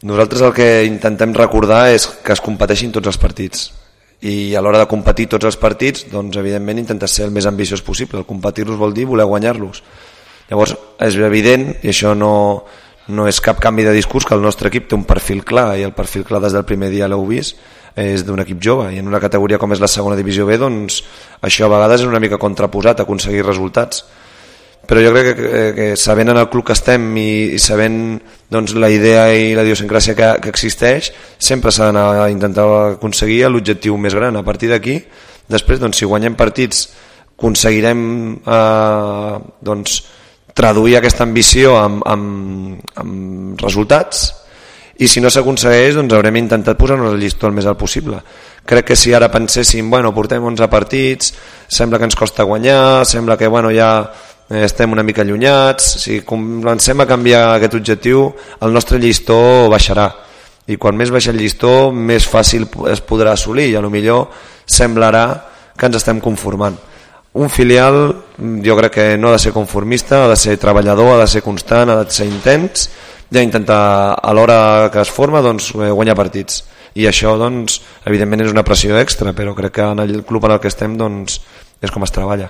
Nosaltres el que intentem recordar és que es competeixin tots els partits, i a l'hora de competir tots els partits, doncs evidentment intentes ser el més ambiciós possible. El competir-los vol dir voler guanyar-los. Llavors és evident, i això no és cap canvi de discurs, que el nostre equip té un perfil clar, i el perfil clar des del primer dia l'heu vist, és d'un equip jove, i en una categoria com és la segona divisió B, doncs això a vegades és una mica contraposat a aconseguir resultats. Però jo crec que sabent en el club que estem i sabent doncs, la idea i la idiosincràsia que existeix, sempre s'ha d'anar a intentar aconseguir l'objectiu més gran. A partir d'aquí, després, doncs, si guanyem partits, aconseguirem doncs, traduir aquesta ambició amb resultats, i si no s'aconsegueix, doncs haurem intentat posar-nos el llistó el més alt possible. Crec que si ara penséssim, bueno, portem 11 partits, sembla que ens costa guanyar, sembla que bueno, ja estem una mica allunyats, si comencem a canviar aquest objectiu, el nostre llistó baixarà, i quan més baixa el llistó més fàcil es podrà assolir, i a lo millor semblarà que ens estem conformant. Un filial jo crec que no ha de ser conformista, ha de ser treballador, ha de ser constant, ha de ser intens, i intentar a l'hora que es forma doncs, guanyar partits, i això doncs, evidentment és una pressió extra, però crec que en el club en el que estem doncs, és com es treballa.